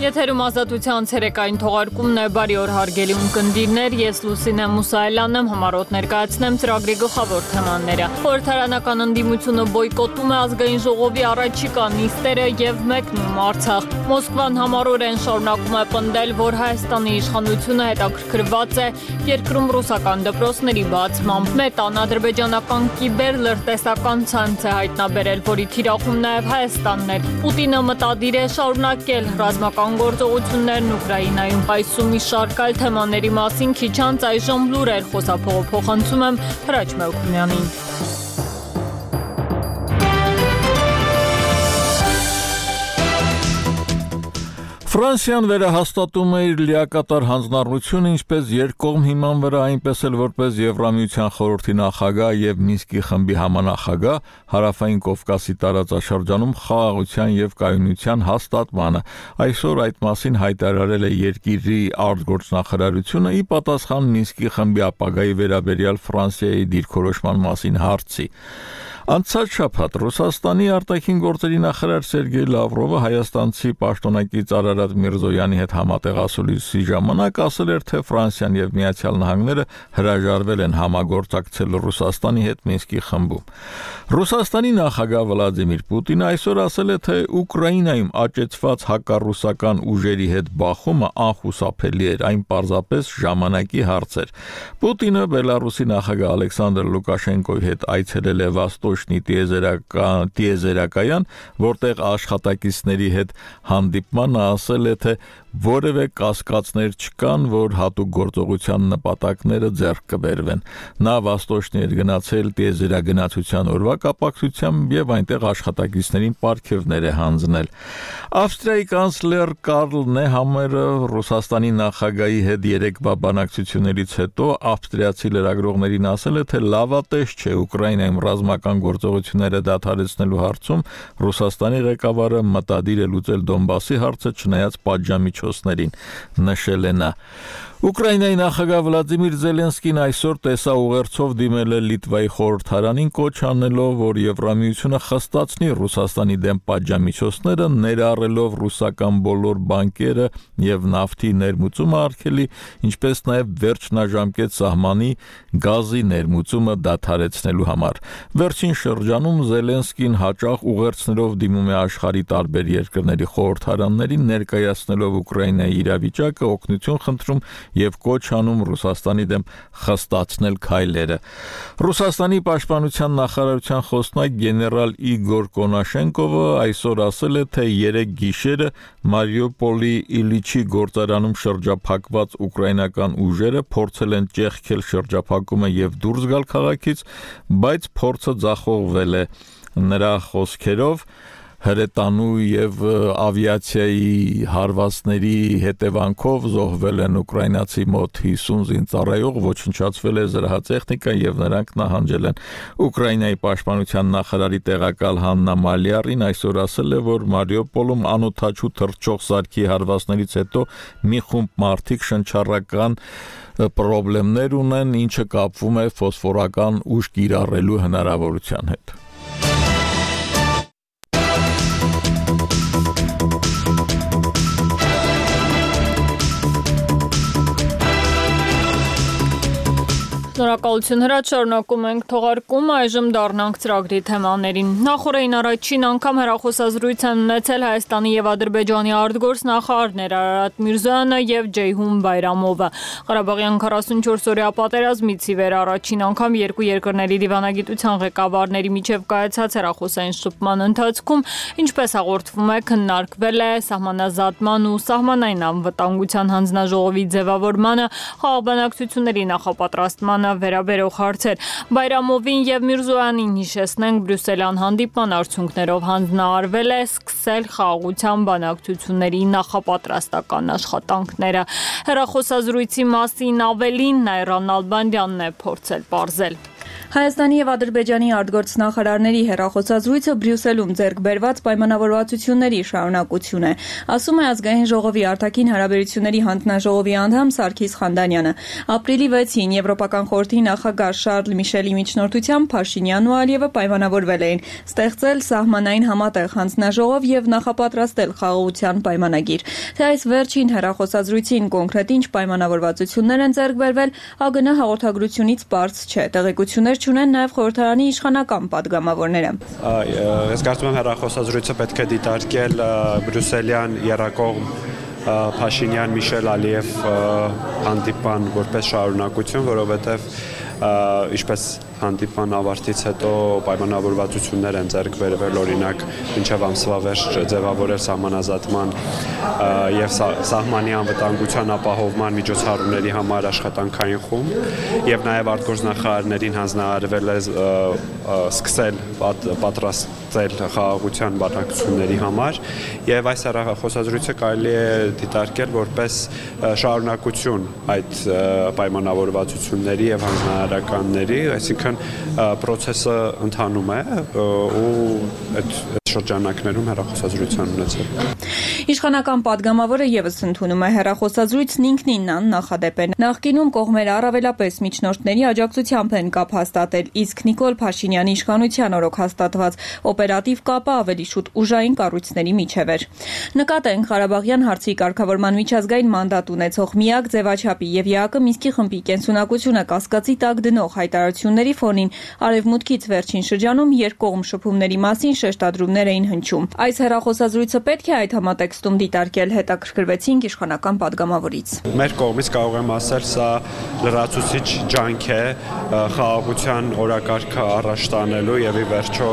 Եթերում ազատության ցերեկային թողարկումն է, բարի օր հարգելի ունկնդիրներ, ես Լուսինե Մուսայելյանն եմ, համառոտ ներկայացնեմ ծրագրի գլխավոր թեմաները։ Խորհրդարանական ընդդիմությունը բոյկոտում է ազգային ժողովի առաջիկա նիստերը եւ մեկնում Արցախ։ Մոսկվան համառորեն շարունակում է պնդել, որ Հայաստանի իշխանությունը հետաքրքրված է երկրում ռուսական դպրոցների բացմամբ։ Մետան ադրբեջանական կիբեր լրտեսական ցանց է հայտնաբերել, որի թիրախում նաեւ Հայաստանն է։ Պուտինը մտադիր է շարունակել ռազմական գործողություններն Ուկրաինայում։ Այսու մի շարք այլ թեմաների մասին քիչ անց այժմ լուրեր խոսափողով փոխանցում եմ Հրաչ Մելքումյանին։ Ֆրանսիան վերահաստատում է իր լիակատար հանձնառությունը ինչպես երկկողմ հիման վրա, այնպես էլ որպես Եվրամիության խորհրդի նախագահ եւ Մինսկի խմբի համանախագահ Հարավային Կովկասի տարածաշրջանում խաղաղության եւ կայունության հաստատմանը։ Այսօր այդ մասին հայտարարել է երկրի արտգործնախարարությունը ի պատասխան Մինսկի խմբի ապագայի վերաբերյալ Ֆրանսիայի դիրքորոշման մասին հարցի։ Անցած շաբաթ Ռուսաստանի արտաքին գործերի նախարար Սերգեյ Լավրովը հայաստանցի պաշտոնակից Արարատ Միրզոյանի հետ համատեղասուլիսի ժամանակ ասել էր, թե Ֆրանսիան եւ Միացյալ Նահանգները հրաժարվել են համագործակցել Ռուսաստանի հետ Մինսկի խմբում։ Ռուսաստանի նախագահ Վլադիմիր Պուտինը այսօր ասել է, թե Ուկրաինայում աճեցված հակառուսական ուժերի հետ բախումը անխուսափելի էր, այն պարզապես ժամանակի հարց էր։ Պուտինը Բելարուսի նախագահ Ալեքսանդր Լուկաշենկոյի հետ այցելել է Վաստոչնի տիեզերակայան, որտեղ աշխատակիցների հետ հանդիպմանը ասել է, թե որևէ կասկածներ չկան, որ հատուկ գործողության նպատակները ձեռք կբերվեն։ Նա Վաստոչնի էր գնացել տիեզերագնացության օրվա կապակցությամբ եւ այնտեղ աշխատակիցներին պարգևներ է հանձնել։ Ավստրիայի կանցլեր Կարլ Նեհամերը Ռուսաստանի նախագահի հետ երեկվա բանակցություններից հետո ավստրիացի լրագրողներին ասել է, թե լավատես չէ Ուկրաինայում ռազմական գործողությունները դադարեցնելու հարցում Ռուսաստանի ղեկավարը մտադիր է լուծել Դոնբասի հարցը չնայած պատժամիջոցներին, նշել է նա։ Ուկրաինայի նախագահ Վլադիմիր Զելենսկին այսօր տեսաուղերձով դիմել է Լիտվայի խորհրդարանին կոչ անելով, որ Եվրամիությունը խստացնի Ռուսաստանի դեմ պատժամիջոցները, ներառելով ռուսական բոլոր բանկերը եւ նավթի ներմուծումը արգելի, ինչպես նաեւ վերջնաժամկետ սահմանի գազի ներմուծումը դադարեցնելու համար։ Վերջին շրջանում Զելենսկին հաճախ ուղերձներով դիմում է աշխարհի տարբեր երկրների խորհրդարաններին, ներկայացնելով Ուկրաինայի իրավիճակը, օգնություն խնդրում եւ կոչ անում Ռուսաստանի դեմ խստացնել քայլերը։ Ռուսաստանի պաշտպանության նախարարության խոսնակ գեներալ Իգոր Կոնաշենկովը այսօր ասել է, թե 3 գիշերը Մարիուպոլի Իլիչի գործարանում շրջափակված ուկրաինական ուժերը փորձել են ճեղքել շրջափակումը եւ դուրս գալ քաղաքից, բայց փորձը ձախողվել է։ Նրա խոսքերով հրետանու եւ ավիացիայի հարվածների հետևանքով զոհվել են ուկրաինացի մոտ 50 զինծառայող, ոչնչացվել է զրահատեխնիկա եւ նրանք նահանջել են։ Ուկրաինայի պաշտպանության նախարարի տեղակալ Հաննա Մալիարին այսօր ասել է, որ Մարիուպոլում անօթաչու թռչող սարքի հարվածներից հետո մի խումբ մարդիկ շնչառական խնդիրներ ունեն, ինչը կապվում է ֆոսֆորական ուժ կիրառելու հնարավորության հետ։ Շնորհակալություն Հրաչ, շարունակում ենք թողարկումը, այժմ դառնանք ծրագրի թեմաներին։ Նախորդին առաջին անգամ հեռախոսազրույց են ունեցել Հայաստանի եւ Ադրբեջանի արտգործնախարարներ Արարատ Միրզոյանը եւ Ջեյհուն Բայրամովը։ Ղարաբաղյան 44-օրյա պատերազմից ի վեր առաջին անգամ երկու երկրների դիվանագիտության ղեկավարների միջև կայացած հեռախոսային շփման ընթացքում, ինչպես հաղորդվում է, քննարկվել է սահմանազատման ու սահմանային անվտանգության հանձնաժողովի ձևավորմանը, խաղաղբանակցությունների նախապատրաստմանը վերաբերող հարցեր։ Բայրամովին եւ Միրզոյանին հիշեցնենք Բրյուսելյան հանդիպման արդյունքներով հանձնարարվել է սկսել խաղաղության բանակցությունների նախապատրաստական աշխատանքները։ Հեռախոսազրույցի մասին ավելին Նայրան Ալբանդյանն է փորձել պարզել։ Հայաստանի եւ Ադրբեջանի արտգործնախարարների հեռախոսազրույցը Բրյուսելում ձեռք բերված պայմանավորվածությունների շարունակություն է, ասում է Ազգային ժողովի արտաքին հարաբերությունների հանձնաժողովի անդամ Սարգիս Խանդանյանը։ Ապրիլի 6-ին Եվրոպական խորհրդի նախագահ Շարլ Միշելի միջնորդությամբ Փաշինյանն ու Ալիևը պայմանավորվել էին ստեղծել սահմանային համատեղ հանձնաժողով եւ նախապատրաստել խաղաղության պայմանագիր։ Թե այս վերջին հեռախոսազրույցին կոնկրետ ինչ պայմանավորվածություններ են ձեռք բերվել, ԱԳՆ հաղորդագրությունից պարզ չէ։ Տեղեկություններ չունեն նաև խորհրդարանի իշխանական падգամավորները։ Ես կարծում եմ հեռախոսազրույցը պետք է դիտարկել բրյուսելյան եռակողմ Փաշինյան Միշել Ալիև հանդիպան որպես շարունակություն, որովհետև ինչպես հանդիպան ավարտից հետո պայմանավորվածություններ են ձեռք բերվել, օրինակ մինչև ամսվա վերջ ձևավորել սահմանազատման եւ սահմանի անվտանգության ապահովման միջոցառումների համար աշխատանքային խումբ եւ նաեւ արտգործնախարարներին հանձնարարվել է սկսել պատրաստել խաղաղության բանակցությունների համար եւ այս հեռախոսազրույցը կարելի է դիտարկել որպես շարունակություն այդ պայմանավորվածությունների եւ հանձնարարականների, այսինքն պրոցեսը ընթանում է ու այդ շրջանակներում հեռախոսազրույցան ունեցել։ Իշխանական падգամավորը եւս ընդունում է հեռախոսազրույցն ինքնին նախադեպ է։ Նախկինում կողմերը առավելապես միջնորդների աջակցությամբ են կապ հաստատել, իսկ Նիկոլ Փաշինյանի իշխանության օրոք հաստատված օպերատիվ կապը ավելի շուտ ուժային կառույցների միջև էր։ Նկատենք Ղարաբաղյան հարցի կարգավորման միջազգային մանդատ ունեցող միակ ձևաչափի եւ ԵԱԿ Մինսկի խմբի կենսունակությունը կասկածի տակ դնող հայտարարությունների ֆոնին արևմուտքից վերջին շրջանում երկկողմ շփումների մասին շեշտադրումներ էին հնչում։ Այս հեռախոսազրույցը պետք է այդ համատեքստում դիտարկել, հետաքրքրվեցինք իշխանական падգամավորից։ Մեր կողմից կարող եմ ասել, սա լրացուցիչ ջանք է խաղաղության օրակարգը առաջ տանելու եւ ի վերջո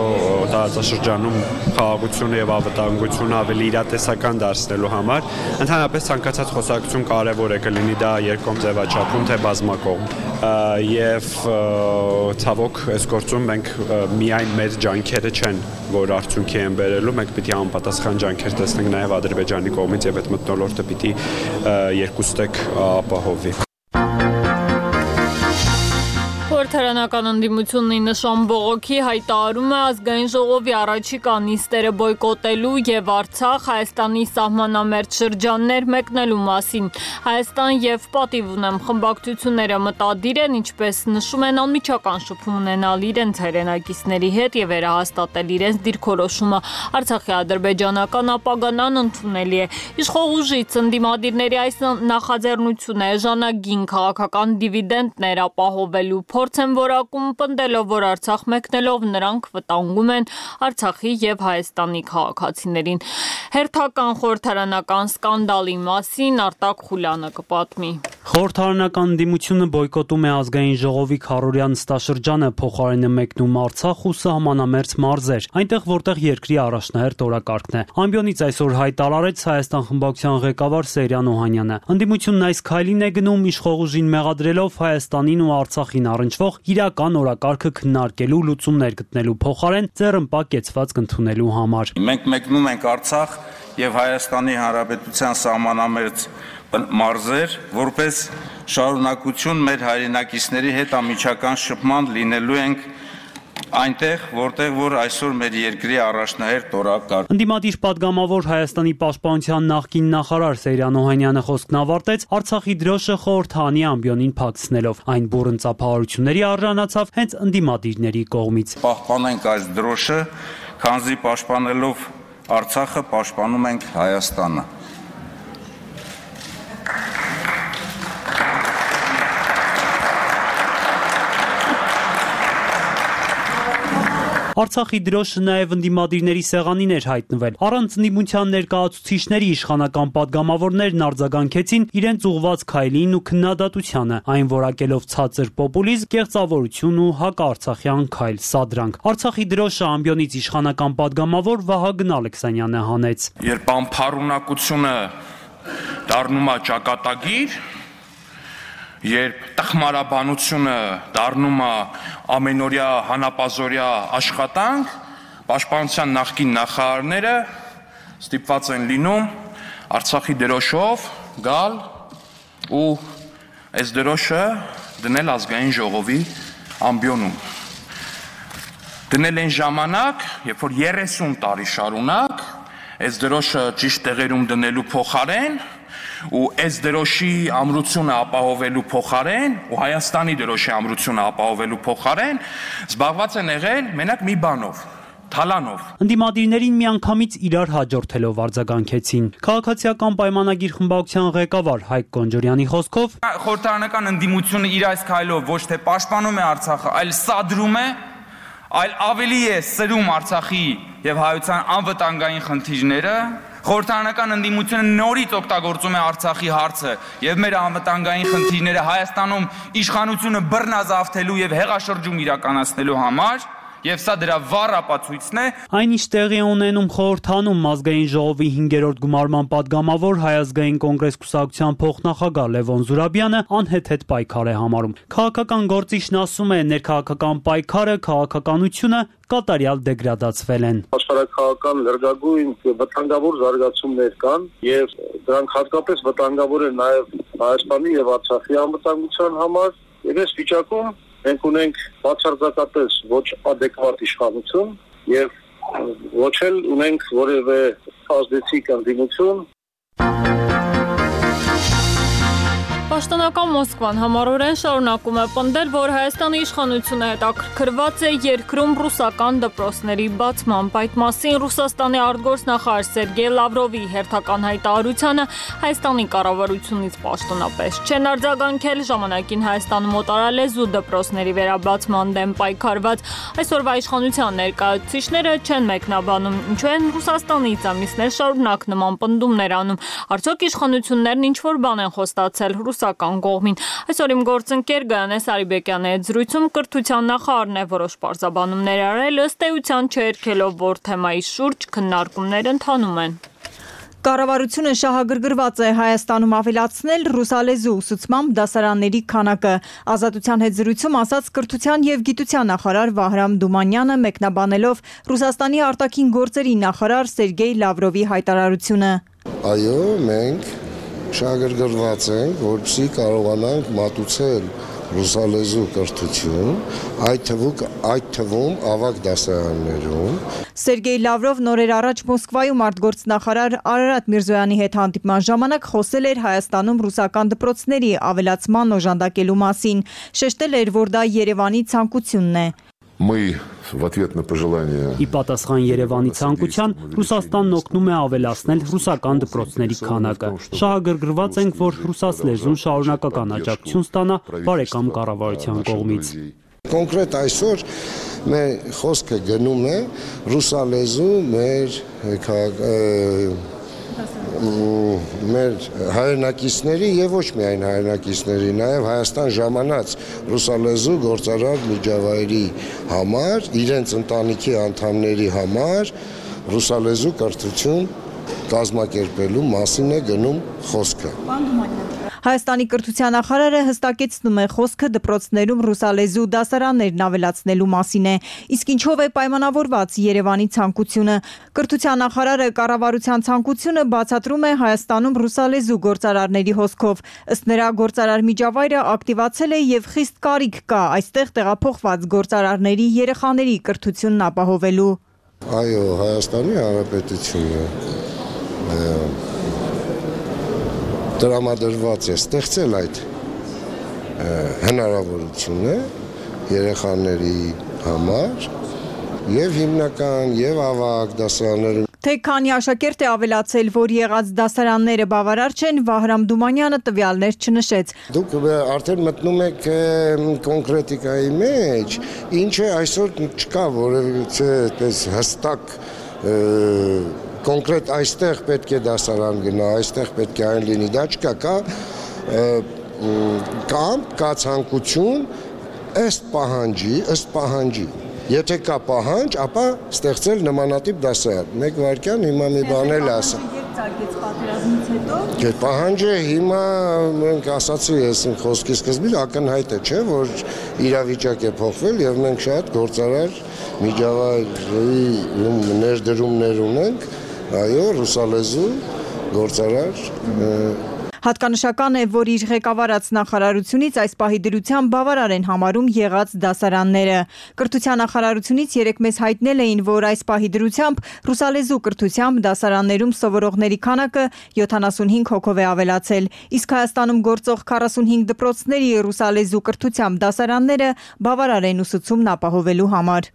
տարածաշրջանում խաղաղությունը եւ անվտանգությունը ավելի իրատեսական դարձնելու համար։ Ընդհանրապես ցանկացած խոսակցություն կարեւոր է կլինի դա երկկողմ ձևաչափում թե բազմակողմ։ Եվ ցավոք այս գործում մենք միայն մեր ջանքերը չեն, որ արդյունքի են բերելու, մենք պիտի անպատասխան ջանքեր տեսնենք նաև Ադրբեջանի կողմից եւ այդ մթնոլորտը պիտի երկուստեք ապահովի։ Խորհրդարանական ընդդիմությունն ի նշան բողոքի հայտարարում է Ազգային ժողովի առաջիկա նիստերը բոյկոտելու եւ Արցախ, Հայաստանի սահմանամերձ շրջաններ մեկնելու մասին։ Հայաստան եւ պատիվ ունեմ խմբակցությունները մտադիր են, ինչպես նշում են, անմիջական շփում ունենալ իրենց հայրենակիցների հետ եւ վերահաստատել իրենց դիրքորոշումը։ Արցախի ադրբեջանական ապագան անընդունելի է։ Իշխող ուժից ընդդիմադիրների այս նախաձեռնությունը էժանագին քաղաքական դիվիդենտներ ապահովելու փորձ են որակում, պնդելով, որ Արցախ մեկնելով նրանք վտանգում են Արցախի եւ Հայաստանի քաղաքացիներին։ Հերթական խորհրդարանական սկանդալի մասին Արտակ Խուլյանը կպատմի։ Խորհրդարանական ընդդիմությունը բոյկոտում է Ազգային ժողովի քառօրյա նստաշրջանը, փոխարենը մեկնում Արցախ ու սահմանամերձ մարզեր, այնտեղ որտեղ երկրի առաջնահերթ օրակարգն է։ Ամբիոնից այսօր հայտարարեց Հայաստան խմբակցության ղեկավար Սերյան Օհանյանը։ Ընդդիմությունն այս քայլին է գնում իշխող ուժին մեղադրելով Հայաստանին ու Արցախին առնչվող իրական օրակարգը քննարկելու, լուծումներ գտնելու փոխարեն ձեռնպա կեցվածք ընդունելու համար։ Մենք մեկնում ենք Արցախ եւ Հայաստանի Հանրապետության սահմանամերձ մարզեր, որպես շարունակություն մեր հայրենակիցների հետ անմիջական շփման լինելու ենք այնտեղ, որտեղ որ այսօր մեր երկրի առաջնահերթ օրակարգ։ Ընդդիմադիր падգամավոր Հայաստանի պաշտպանության նախկին նախարար Սերյան Օհանյանը խոսքն ավարտեց Արցախի դրոշը խորհրդանի ամբիոնին փակցնելով։ Այն բուռն ծափահարությունների արժանացավ հենց ընդդիմադիրների կողմից։ Պահպանենք այս դրոշը, քանզի պաշտպանելով Արցախը պաշտպանում ենք Հայաստանը։ Արցախի դրոշը նաև ընդդիմադիրների սեղանին էր հայտնվել։ Առանց ընդդիմության ներկայացուցիչների իշխանական падգամավորներն արձագանքեցին իրենց ուղղված քայլին ու քննադատությանը, այն որակելով ցածր պոպուլիզմ, կեղծավորություն ու հակաարցախյան քայլ, սադրանք։ Արցախի դրոշը ամբիոնից իշխանական падգամավոր Վահագն Ալեքսանյանը հանեց։ Երբ անփառունակությունը դառնում է ճակատագիր, երբ տխմարաբանությունը դառնում է ամենօրյա հանապազօրյա աշխատանք, պաշտպանության նախկին նախարարները ստիպված են լինում Արցախի դրոշով գալ ու այս դրոշը դնել Ազգային ժողովի ամբիոնում։ դնել են ժամանակ, երբ որ 30 տարի շարունակ այս դրոշը ճիշտ տեղերում դնելու փոխարեն ու այս դրոշի ամրությունը ապահովելու փոխարեն ու Հայաստանի դրոշի ամրությունը ապահովելու փոխարեն զբաղված են եղել մենակ մի բանով թալանով։ Ընդդիմադիրներին միանգամից իրար հաջորդելով արձագանքեցին։ Քաղաքացիական պայմանագիր խմբակցության ղեկավար Հայկ Կոնջորյանի խոսքով խորհրդարանական ընդդիմությունը իր այս քայլով ոչ թե պաշտպանում է Արցախը, այլ սադրում է, այլ ավելի է սրում Արցախի եւ հայության անվտանգային խնդիրները։ Խորհրդարանական ընդդիմությունը նորից օգտագործում է Արցախի հարցը եւ մեր անվտանգային խնդիրները Հայաստանում իշխանությունը բռնազավթելու եւ հեղաշրջում իրականացնելու համար։ Եվ սա դրա վառ ապացույցն է։ Այնինչ տեղի է ունենում խորհրդանում ազգային ժողովի 5-րդ գումարման падգամավոր Հայ ազգային կոնգրես կուսակցության փոխնախագահ Լևոն Զուրաբյանը անհեթեթ պայքար է համարում։ Քաղաքական գործիչն ասում է, ներքաղաքական պայքարը, քաղաքականությունը կատարյալ դեգրադացվել են։ Աշխարհակաղական լրջագույն վտանգավոր զարգացումներ կան եւ դրանք հատկապես վտանգավոր են նաեւ Հայաստանի եւ Արցախի անվտանգության համար եւ այս վիճակում մենք ունենք բացարձակապես ոչ adekvat իշխանություն եւ ոչ էլ ունենք որևէ ազդեցիկ ընդդիմություն։ Պաշտոնական Մոսկվան համառորեն շարունակում է պնդել, որ Հայաստանի իշխանությունը հետաքրքրված է երկրում ռուսական դպրոցների բացմամբ։ Այդ մասին Ռուսաստանի արտգործնախարար Սերգեյ Լավրովի հերթական հայտարարությանը Հայաստանի կառավարությունից պաշտոնապես չեն արձագանքել ժամանակին Հայաստանում օտարալեզու դպրոցների վերաբացման դեմ պայքարված այսօրվա իշխանության ներկայացուցիչները չեն մեկնաբանում, ինչու են Ռուսաստանից ամիսներ շարունակ նման պնդումներ անում։ Արդյոք իշխանություններն ինչ-որ բան են խոստացել ռուսական կողմին։ Այսօր իմ գործընկեր Գայանե Սարիբեկյանի հետ զրույցում կրթության նախարարն է որոշ պարզաբանումներ արել, ըստ էության չերքելով, որ թեմայի շուրջ քննարկումներ ընթանում են։ Կառավարությունը շահագրգռված է Հայաստանում ավելացնել ռուսալեզու ուսուցմամբ դասարանների քանակը։ Ազատության հետ զրույցում ասաց կրթության եւ գիտության նախարար Վահրամ Դումանյանը, մեկնաբանելով Ռուսաստանի արտաքին գործերի նախարար Սերգեյ Լավրովի հայտարարությունը։ Այո, մենք շահագրգռված ենք, որպեսզի կարողանանք մատուցել ռուսալեզու կրթություն, այդ թվում ավագ դասարաններում։ Սերգեյ Լավրով նորեր առաջ Մոսկվայում արտգործնախարար Արարատ Միրզոյանի հետ հանդիպման ժամանակ խոսել էր Հայաստանում ռուսական դպրոցների ավելացման օժանդակելու մասին, շեշտել էր, որ դա Երևանի ցանկությունն է։ Ի պատասխան Երևանի ցանկության Ռուսաստանն օգնում է ավելացնել ռուսական դպրոցների քանակը։ Շահագրգռված ենք, որ ռուսացլեզուն շարունակական աջակցություն ստանա բարեկամ կառավարության կողմից։ Կոնկրետ այսօր մեր խոսքը գնում է ռուսալեզու մեր հայրենակիցների եւ ոչ միայն հայրենակիցների, նաեւ Հայաստան ժամանած ռուսալեզու գործարար միջավայրի համար, իրենց ընտանիքի անդամների համար ռուսալեզու կրթություն կազմակերպելու մասին է գնում խոսքը։ Հայաստանի կրթության նախարարը հստակեցնում է խոսքը դպրոցներում ռուսալեզու դասարաններն ավելացնելու մասին է, իսկ ինչով է պայմանավորված Երևանի ցանկությունը։ Կրթության նախարարը կառավարության ցանկությունը բացատրում է Հայաստանում ռուսալեզու գործարարների հոսքով։ Ըստ նրա գործարար միջավայրը ակտիվացել է եւ խիստ կարիք կա այստեղ տեղափոխված գործարարների երեխաների կրթությունն ապահովելու։ Այո, Հայաստանի Հանրապետությունը տրամադրված է ստեղծել այդ հնարավորությունը երեխաների համար եւ հիմնական եւ ավագ դասարաններում։ Թե քանի աշակերտ է ավելացել, որ եղած դասարանները բավարար չեն, Վահրամ Դումանյանը տվյալներ չնշեց։ Դուք արդեն մտնում եք կոնկրետիկայի մեջ, ինչը այսօր չկա որևէ այդպես հստակ կոնկրետ այստեղ պետք է դասարան գնա, այստեղ պետք է այն լինի, դա չկա, կա ցանկություն ըստ պահանջի։ Եթե կա պահանջ, ապա ստեղծել նմանատիպ դասարան։ Մեկ վայրկյան հիմա մի բան էլ ասա։ Պահանջը հիմա մենք ասացի ես իմ խոսքի սկզբից ակնհայտ է, չէ, որ իրավիճակ է փոխվել եւ մենք շատ գործարար միջավայրի ներդրումներ ունենք, այո, ռուսալեզու գործարար Հատկանշական է, որ իր ղեկավարած նախարարությունից այս պահի դրությամբ բավարար են համարում եղած դասարանները։ Կրթության նախարարությունից երեկ մեզ հայտնել էին, որ այս պահի դրությամբ ռուսալեզու կրթությամբ դասարաններում սովորողների քանակը 75 հոգով է ավելացել, իսկ Հայաստանում գործող 45 դպրոցների ռուսալեզու կրթությամբ դասարանները բավարար են ուսուցումն ապահովելու համար։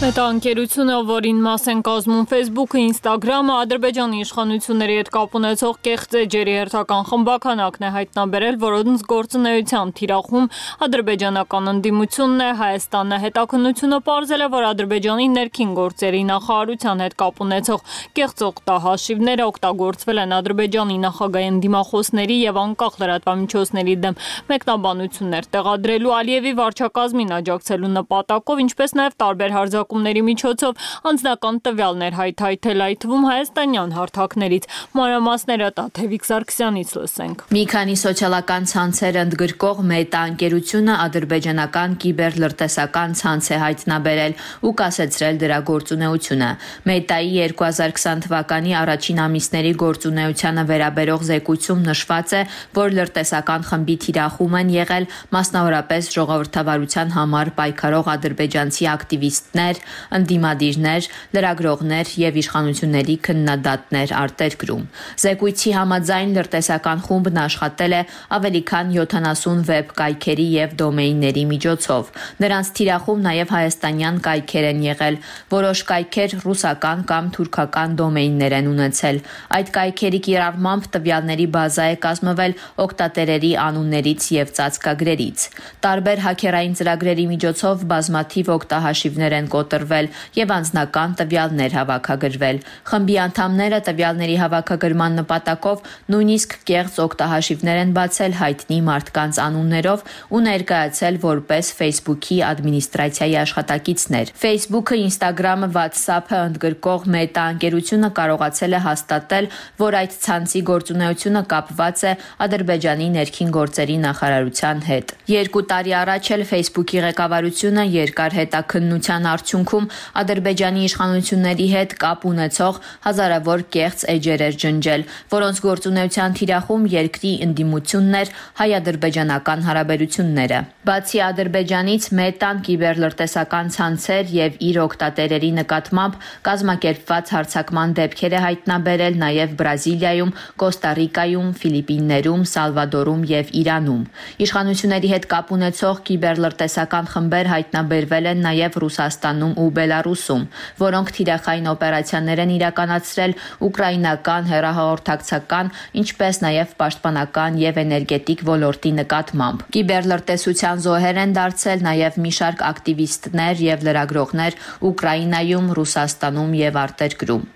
Մետաընկերությունը, որին մաս են կազմում Facebook-ը, Instagram-ը, Ադրբեջանի իշխանությունների հետ կապ ունեցող կեղծ էջերի հերթական խմբականակն է հայտնաբերել, որոնց գործունեությամբ թիրախում ադրբեջանական ընդդիմությունն է։ Հայաստանը հետաքննությունը պարզել է, որ Ադրբեջանի ներքին գործերի նախարարության հետ կապ ունեցող կեղծ օգտահաշիվները օգտագործվել են Ադրբեջանի նախագահի ընդդիմախոսների եւ անկախ լրատվամիջոցների դեմ մեկնաբանություններ տեղադրելու, Ալիևի վարչակազմին աջակցելու նպատակով, ինչպես նաեւ տարբեր հարձակումների միջոցով անձնական տվյալներ հայթայթել, այդ թվում հայաստանյան հարթակներից։ Մանրամասները Տաթևիկ Սարգսյանից լսենք։ Մի քանի սոցիալական ցանցեր ընդգրկող Մետա ընկերությունը ադրբեջանական կիբերլրտեսական ցանց է հայտնաբերել ու կասեցրել դրա գործունեությունը։ Մետայի 2020 թվականի առաջին ամիսների գործունեությանը վերաբերող զեկույցում նշված է, որ լրտեսական խմբի թիրախում են եղել մասնավորապես ժողովրդավարության համար պայքարող ադրբեջանցի ակտիվիստներ, ընդդիմադիրներ, լրագրողներ եւ իշխանությունների քննադատներ արտերկրում։ Զեկույցի համաձայն լրտեսական խումբն աշխատել է ավելի քան 70 վեբ կայքերի եւ դոմեյնների միջոցով։ Նրանց թիրախում նաեւ հայաստանյան կայքեր են եղել, որոշ կայքեր ռուսական կամ թուրքական դոմեյններ են ունեցել։ Այդ կայքերի կիրառմամբ տվյալների բազա է կազմվել օգտատերերի անուններից եւ ծածկագրերից։ Տարբեր հաքերային ծրագրերի միջոցով բազմաթիվ օգտահաշիվներ են կոտրվել եւ անձնական տվյալներ հավաքագրվել։ Խմբի անդամները տվյալների հավաքագրման նպատակով նույնիսկ կեղծ օգտահաշիվներ են բացել հայտնի մարդկանց անուններով ու ներկայացել որպես Facebook-ի ադմինիստրացիայի աշխատակիցներ։ Facebook-ը, Instagram-ը, WhatsApp-ը ընդգրկող Meta ընկերությունը կարողացել է հաստատել, որ այդ ցանցի գործունեությունը կապված է Ադրբեջանի ներքին գործերի նախարարության հետ։ 2 տարի առաջ էլ Facebook-ի ղեկավարությունը երկար հետաքննության արդյունքում Ադրբեջանի իշխանությունների հետ կապ ունեցող հազարավոր կեղծ էջեր էր ջնջել, որոնց գործունեության թիրախում երկրի ընդդիմությունն էր հայ-ադրբեջանական հարաբերությունները։ Բացի Ադրբեջանից Մետան կիբերլրտեսական ցանցեր եւ իր օգտատերերի նկատմամբ կազմակերպված հարձակման դեպքեր է հայտնաբերել նաեւ Բրազիլիայում, Կոստա Ռիկայում, Ֆիլիպիններում, Սալվադորում եւ Իրանում։ Իշխանությունների հետ կապ ունեցող կիբերլրտեսական խմբեր հայտնաբերվել են նաեւ Ռուսաստանում ու Բելարուսում, որոնք թիրախային օպերացիաներ են իրականացրել ուկրաինական հեռահաղորդակցական, ինչպես նաեւ պաշտպանական եւ էներգետիկ ոլորտի նկատմամբ։ Կիբերլրտեսության զոհեր են դարձել նաեւ մի շարք ակտիվիստներ եւ լրագրողներ Ուկրաինայում, Ռուսաստանում եւ արտերկրում։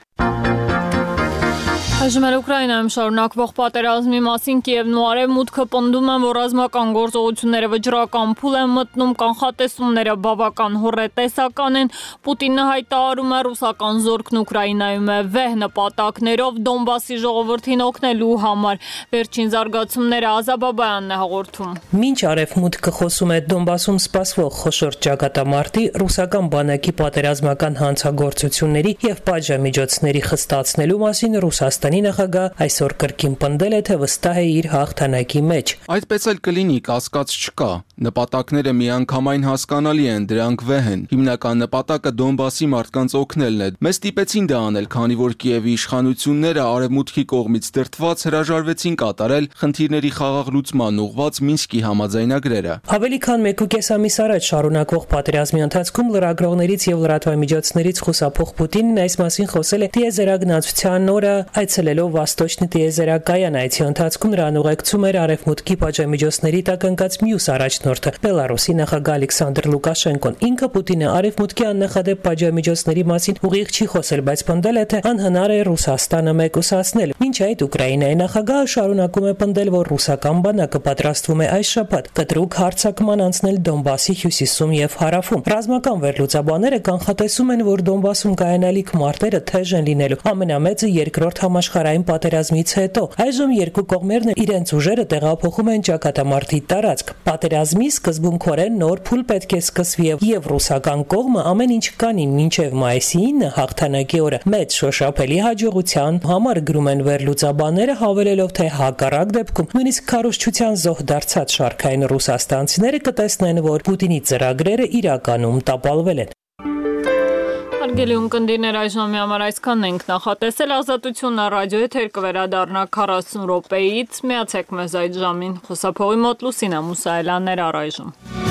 Այժմ Ուկրաինայում շարունակվող պատերազմի մասին Կիևն ու Արևմուտքը պնդում են, որ ռազմական գործողությունները վճռական փուլ են մտնում, կանխատեսումները բավական հոռետեսական են։ Պուտինը հայտարարում է, ռուսական զորքն Ուկրաինայում է վեհ նպատակներով Դոնբասի ժողովրդին օգնելու համար։ Վերջին զարգացումները Ազաբաբայանն է հաղորդում։ Մինչ Արևմուտքը խոսում է Դոնբասում սպասվող խոշոր ճակատամարտի, ռուսական բանակի պատերազմական հանցագործությունների եւ պատժամիջոցների խստացնելու մասին Ռուսաստանի նախագահ այսօր կրկին պնդել է, թե վստահ է իր հաղթանակի մեջ։ Այդպես էլ կլինի, կասկած չկա։ Նպատակները միանգամայն հասկանալի են, դրանք վեհ են։ Հիմնական նպատակը Դոնբասի մարդկանց օգնելն է։ Մեզ ստիպեցին դա անել, քանի որ Կիևի իշխանությունները Արևմուտքի կողմից դրդված հրաժարվեցին կատարել խնդիրների խաղաղ լուծման ուղղված Մինսկի համաձայնագրերը։ Ավելի քան 1.5 ամիս առաջ շարունակվող պատերազմի ընթացքում լրագրողներից եւ լրատվամիջոցներից խուսափող Պուտինն այս մասին խոսել է տիեզերագնացության օրը այցելելով Վաստոչնի տիեզերակայան։ Այցի ընթացքում նրան ուղեկցում էր Արևմուտքի պատժամիջոցների տակ ընկած մյուս առաջնորդը Բելարուսի նախագահ Ալեքսանդր Լուկաշենկոն։ Ինքը Պուտինը Արևմուտքի աննախադեպ պատժամիջոցների մասին ուղիղ չի խոսել, բայց պնդել է, թե անհնար է Ռուսաստանը մեկուսացնել։ Մինչ այդ Ուկրաինայի նախագահը շարունակում է պնդել, որ ռուսական բանակը պատրաստվում է այս շաբաթ կտրուկ հարձակման անցնել Դոնբասի հյուսիսում եւ հարավում։ Ռազմական վերլուծաբանները կանխատեսում են, որ Դոնբասում կայանալիք մարտերը թեժ են լինելու։ Ամենամեծը երկրորդ համաշխարհային պատերազմից հետո։ Այժմ երկու կողմերն իրենց ուժերը տեղափոխում են ճակատամարտի տարածք։ Պատերազմի սկզբունքորեն նոր փուլ պետք է սկսվի եւ ռուսական կողմը ամեն ինչ կանի մինչեւ մայիսի 9 հաղթանակի օրը մեծ շոշափելի հաջողության համար գրում են վերլուծաբանները, հավելելով, թե հակառակ դեպքում նույնիսկ քարոզչության զոհ դարձած շարքային ռուսաստանցիները կտեսնեն, որ Պուտինի ծրագրերը իրականում տապալվել են։ Հարգելի ունկնդիրներ, այժմի համար այսքանն ենք նախատեսել։ Ազատությունն ռադիո եթեր կվերադառնա 40 րոպեից։ Միացեք մեզ այդ ժամին։ Խոսափողի մոտ Լուսինա Մուսայելյաններ առայժմ։